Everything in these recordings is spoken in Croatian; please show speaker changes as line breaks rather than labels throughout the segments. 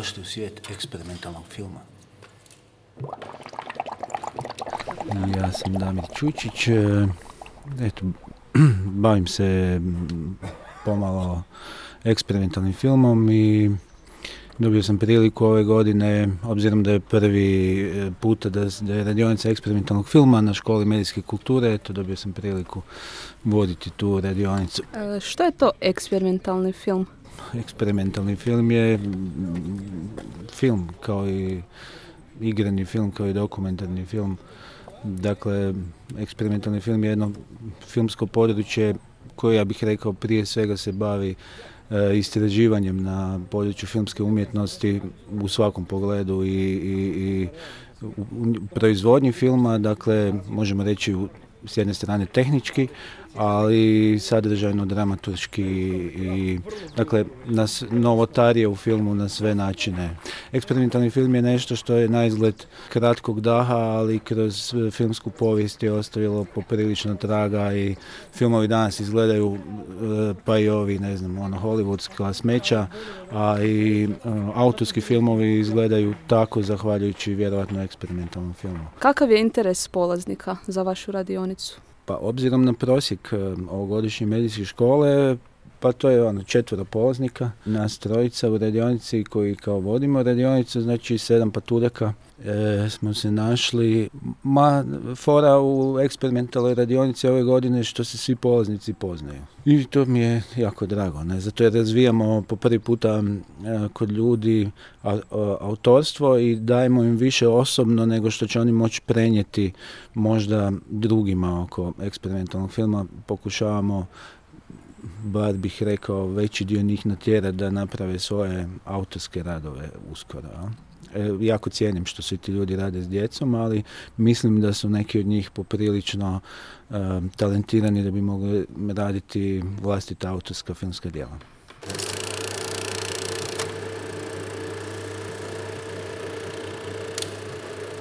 došli u svijet eksperimentalnog filma. Ja sam Damir Čučić. Eto, bavim se pomalo eksperimentalnim filmom i dobio sam priliku ove godine, obzirom da je prvi puta da je radionica eksperimentalnog filma na školi medijske kulture, eto, dobio sam priliku voditi tu radionicu.
Što je to eksperimentalni film?
Eksperimentalni film je film kao i igrani film, kao i dokumentarni film. Dakle, eksperimentalni film je jedno filmsko područje koje, ja bih rekao, prije svega se bavi istraživanjem na području filmske umjetnosti u svakom pogledu i u proizvodnji filma, dakle, možemo reći s jedne strane tehnički, ali sadržajno, dramaturški i dakle novotarije u filmu na sve načine. Eksperimentalni film je nešto što je naizgled kratkog daha, ali kroz filmsku povijest je ostavilo poprilično traga i filmovi danas izgledaju, pa i ovi, ne znam, hollywoodska smeća, a i autorski filmovi izgledaju tako zahvaljujući vjerojatno eksperimentalnom filmu.
Kakav je interes polaznika za vašu radionicu?
Pa obzirom na prosjek ovogodišnje medijske škole, pa to je 4 polaznika, nas 3 u radionici koji kao vodimo radionicu, znači 7 paturaka smo se našli. Fora u eksperimentalnoj radionici ove godine što se svi polaznici poznaju. I to mi je jako drago, ne? Zato jer razvijamo po prvi puta kod ljudi autorstvo i dajemo im više osobno nego što će oni moći prenijeti možda drugima oko eksperimentalnog filma. Pokušavamo, bar bih rekao, veći dio njih natjerati da naprave svoje autorske radove uskoro. Jako cijenim što svi ti ljudi rade s djecom, ali mislim da su neki od njih poprilično talentirani da bi mogli raditi vlastita autorska filmska djela.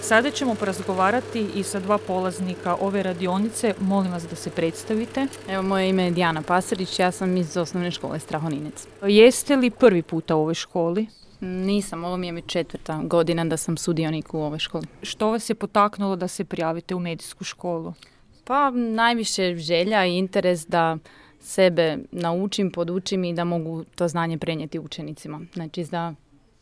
Sada ćemo porazgovarati i sa 2 polaznika ove radionice. Molim vas da se predstavite.
Evo, moje ime je Dijana Pasarić, ja sam iz osnovne škole Strahoninec.
Jeste li prvi puta u ovoj školi?
Nisam, ovo mi je 4. godina da sam sudionik u ovoj školi.
Što vas je potaknulo da se prijavite u medijsku školu?
Pa najviše želja i interes da sebe naučim, podučim i da mogu to znanje prenijeti učenicima. Znači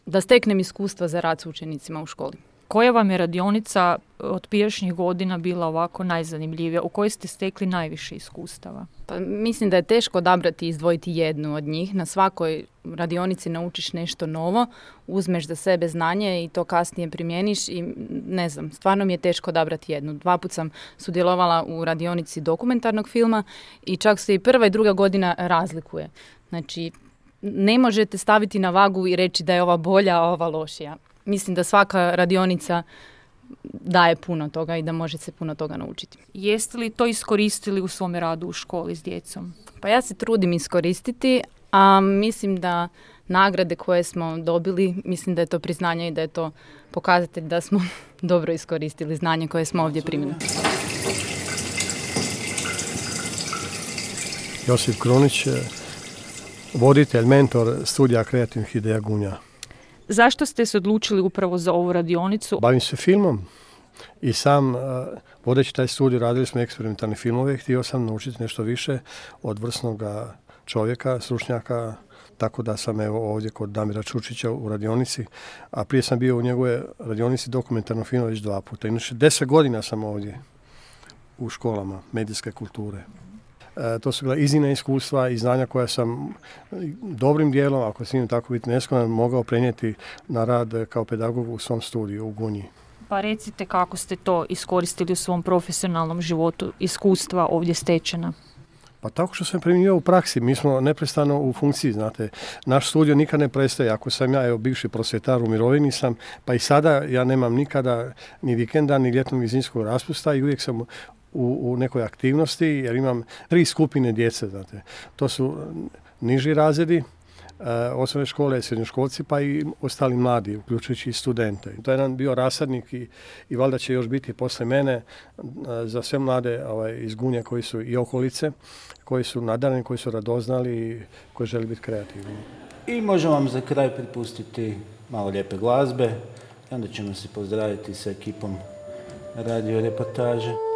da steknem iskustva za rad s učenicima u školi.
Koja vam je radionica od prijašnjih godina bila ovako najzanimljivija? U kojoj ste stekli najviše iskustava?
Pa mislim da je teško odabrati i izdvojiti jednu od njih. Na svakoj radionici naučiš nešto novo, uzmeš za sebe znanje i to kasnije primjeniš i ne znam, stvarno mi je teško odabrati jednu. 2 puta sam sudjelovala u radionici dokumentarnog filma i čak se i 1. i 2. godina razlikuje. Znači, ne možete staviti na vagu i reći da je ova bolja, a ova lošija. Mislim da svaka radionica daje puno toga i da može se puno toga naučiti.
Jeste li to iskoristili u svom radu u školi s djecom?
Pa ja se trudim iskoristiti, a mislim da nagrade koje smo dobili, mislim da je to priznanje i da je to pokazatelj da smo dobro iskoristili znanje koje smo ovdje primili.
Josip Krunić, voditelj, mentor studija kreativnih ideja Gunja.
Zašto ste se odlučili upravo za ovu radionicu?
Bavim se filmom i sam vodeći taj studij radili smo eksperimentalne filmove. Htio sam naučiti nešto više od vrsnog čovjeka, stručnjaka, tako da sam ovdje kod Damira Čučića u radionici, a prije sam bio u njegove radionici dokumentarnog filma već 2 puta. Inače 10 godina sam ovdje u školama medijske kulture. To su bila iznimna iskustva i znanja koja sam dobrim dijelom, ako smijem tako biti neskroman, mogao prenijeti na rad kao pedagog u svom studiju u Gunji.
Pa recite kako ste to iskoristili u svom profesionalnom životu, iskustva ovdje stečena?
Pa tako što sam primjenjivao u praksi. Mi smo neprestano u funkciji, znate. Naš studio nikad ne prestaje. Ako sam ja, bivši prosvjetar, u mirovini sam, pa i sada ja nemam nikada ni vikenda, ni ljetnog i zimskog raspusta i uvijek sam u nekoj aktivnosti, jer imam 3 skupine djece, znate. To su niži razredi, osnovne škole, srednjoškolci, pa i ostali mladi, uključujući i studente. To je jedan bio rasadnik i valjda će još biti posle mene za sve mlade iz Gunje koji su i okolice, koji su nadareni, koji su radoznali i koji žele biti kreativni.
I možemo vam za kraj pripustiti malo lijepe glazbe i onda ćemo se pozdraviti sa ekipom radio reportaže.